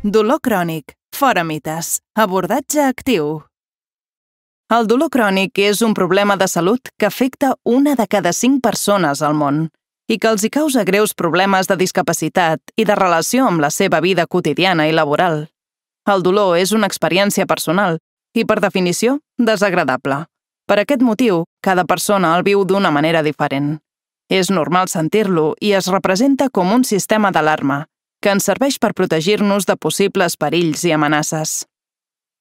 Dolor crònic, fora mites, abordatge actiu. El dolor crònic és un problema de salut que afecta 1 de cada 5 persones al món i que els hi causa greus problemes de discapacitat i de relació amb la seva vida quotidiana i laboral. El dolor és una experiència personal i, per definició, desagradable. Per aquest motiu, cada persona el viu d'una manera diferent. És normal sentir-lo i es representa com un sistema d'alarma que ens serveix per protegir-nos de possibles perills i amenaces.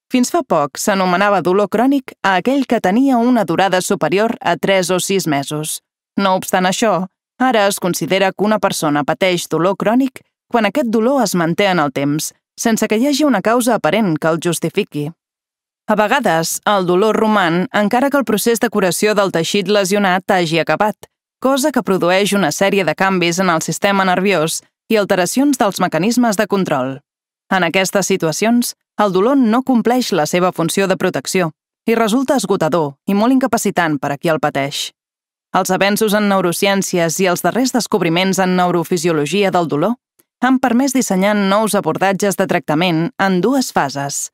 Fins fa poc s'anomenava dolor crònic a aquell que tenia una durada superior a 3 o 6 mesos. No obstant això, ara es considera que una persona pateix dolor crònic quan aquest dolor es manté en el temps, sense que hi hagi una causa aparent que el justifiqui. A vegades, el dolor roman encara que el procés de curació del teixit lesionat hagi acabat, cosa que produeix una sèrie de canvis en el sistema nerviós i alteracions dels mecanismes de control. En aquestes situacions, el dolor no compleix la seva funció de protecció i resulta esgotador i molt incapacitant per a qui el pateix. Els avenços en neurociències i els darrers descobriments en neurofisiologia del dolor han permès dissenyar nous abordatges de tractament en 2 fases.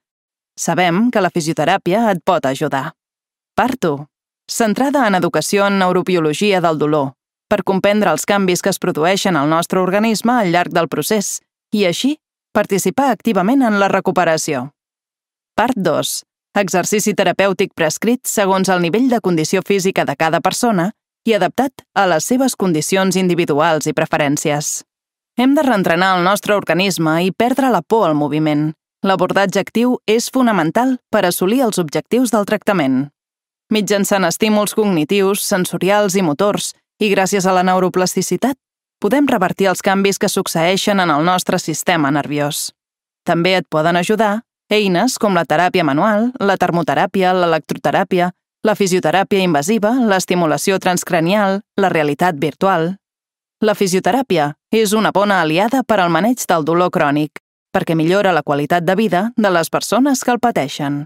Sabem que la fisioteràpia et pot ajudar. Part 1. Centrada en educació en neurobiologia del dolor, per comprendre els canvis que es produeixen al nostre organisme al llarg del procés i, així, participar activament en la recuperació. Part 2. Exercici terapèutic prescrit segons el nivell de condició física de cada persona i adaptat a les seves condicions individuals i preferències. Hem de reentrenar el nostre organisme i perdre la por al moviment. L'abordatge actiu és fonamental per assolir els objectius del tractament. Mitjançant estímuls cognitius, sensorials i motors, i gràcies a la neuroplasticitat, podem revertir els canvis que succeeixen en el nostre sistema nerviós. També et poden ajudar eines com la teràpia manual, la termoteràpia, l'electroteràpia, la fisioteràpia invasiva, l'estimulació transcranial, la realitat virtual. La fisioteràpia és una bona aliada per al maneig del dolor crònic, perquè millora la qualitat de vida de les persones que el pateixen.